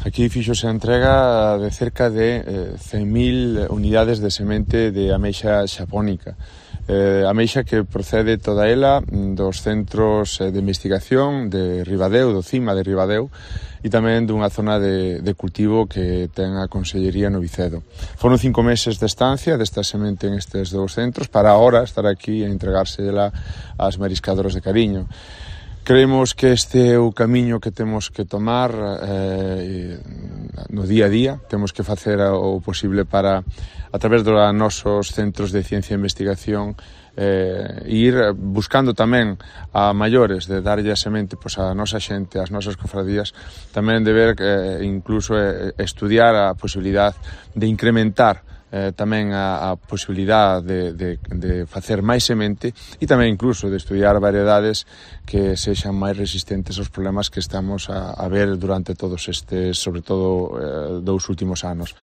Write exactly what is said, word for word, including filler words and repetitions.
Aquí fíxose a entrega de cerca de eh, cen mil unidades de semente de ameixa xapónica. Eh, ameixa que procede toda ela dos centros de investigación de Ribadeo, do CIMA de Ribadeo, e tamén dunha zona de, de cultivo que ten a Consellería no Vicedo. Foron cinco meses de estancia desta semente en estes dous centros para agora estar aquí e entregársela ás mariscadoras de Cariño. Creemos que este é o camiño que temos que tomar eh, no día a día. Temos que facer o posible para, a través dos nosos centros de ciencia e investigación, eh, ir buscando tamén a maiores, de darlle a semente pois, a nosa xente, as nosas cofradías, tamén de ver, eh, incluso eh, estudiar a posibilidade de incrementar Eh, tamén a, a posibilidade de, de, de facer máis semente e tamén incluso de estudiar variedades que sexan máis resistentes aos problemas que estamos a, a ver durante todos estes, sobre todo, eh, dous últimos anos.